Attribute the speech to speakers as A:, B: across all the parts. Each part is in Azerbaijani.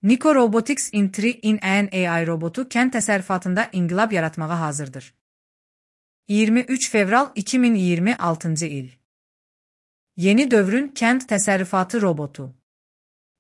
A: Nico Robotics in 3-in-1 AI robotu kənd təsərrüfatında inqilab yaratmağa hazırdır. 23 fevral 2026 il. Yeni dövrün kənd təsərrüfatı robotu.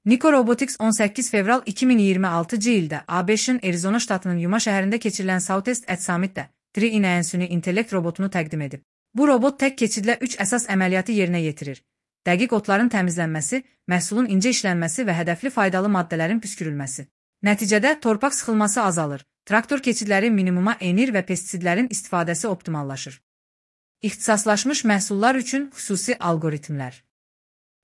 A: Nico Robotics 18 fevral 2026 ildə ABŞ-ın Arizona ştatının Yuma şəhərində keçirilən Southeast Edge Summit'də 3-in-1 süni intellekt robotunu təqdim edib. Bu robot tək keçidlə 3 əsas əməliyyatı yerinə yetirir. Dəqiq otların təmizlənməsi, məhsulun incə işlənməsi və hədəfli faydalı maddələrin püskürülməsi. Nəticədə torpaq sıxılması azalır, traktor keçidləri minimuma enir və pestisidlərin istifadəsi optimallaşır. İxtisaslaşmış məhsullar üçün xüsusi algoritmlər.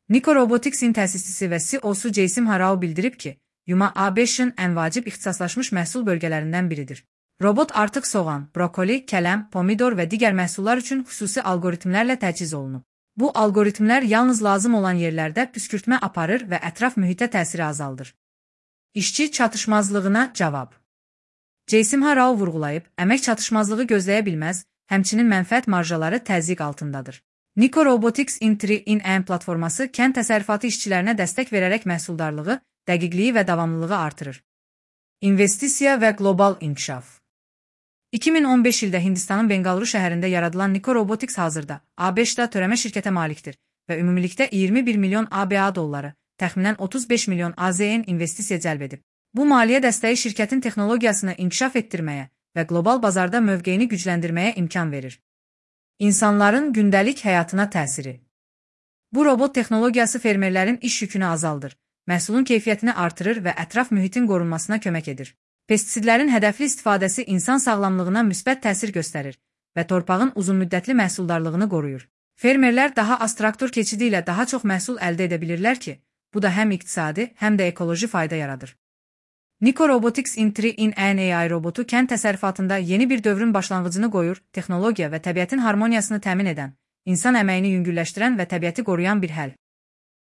A: Nico Robotics'in təsisçisi və CEO-su Jason Harao bildirib ki, Yuma ABŞ-ın ən vacib ixtisaslaşmış məhsul bölgələrindən biridir. Robot artıq soğan, brokoli, kələm, pomidor və digər məhsullar üçün xüsusi algoritmlərlə təchiz olunub. Bu algoritmlər yalnız lazım olan yerlərdə püskürtmə aparır və ətraf mühitə təsiri azaldır. İşçi çatışmazlığına cavab. Jason Harao vurğulayıb, əmək çatışmazlığı gözləyə bilməz, həmçinin mənfəət marjaları təzyiq altındadır. Nico Robotics in 3-in-1 platforması kənd təsərrüfatı işçilərinə dəstək verərək məhsuldarlığı, dəqiqliyi və davamlılığı artırır. İnvestisiya və qlobal inkişaf. 2015 ildə Hindistanın Bengaluru şəhərində yaradılan Nico Robotics hazırda ABŞ-da törəmə şirkətə malikdir və ümumilikdə 21 milyon ABA dolları, təxminən 35 milyon AZN investisiya cəlb edib. Bu maliyyə dəstəyi şirkətin texnologiyasını inkişaf etdirməyə və qlobal bazarda mövqeyini gücləndirməyə imkan verir. İnsanların gündəlik həyatına təsiri. Bu robot texnologiyası fermerlərin iş yükünü azaldır, məhsulun keyfiyyətini artırır və ətraf mühitin qorunmasına kömək edir. Pestisidlərin hədəfli istifadəsi insan sağlamlığına müsbət təsir göstərir və torpağın uzunmüddətli məhsuldarlığını qoruyur. Fermerlər daha az traktor keçidi ilə daha çox məhsul əldə edə bilirlər ki, bu da həm iqtisadi, həm də ekoloji fayda yaradır. Nico Robotics in 3-in-1 AI robotu kənd təsərrüfatında yeni bir dövrün başlanğıcını qoyur, texnologiya və təbiətin harmoniyasını təmin edən, insan əməyini yüngülləşdirən və təbiəti qoruyan bir həll.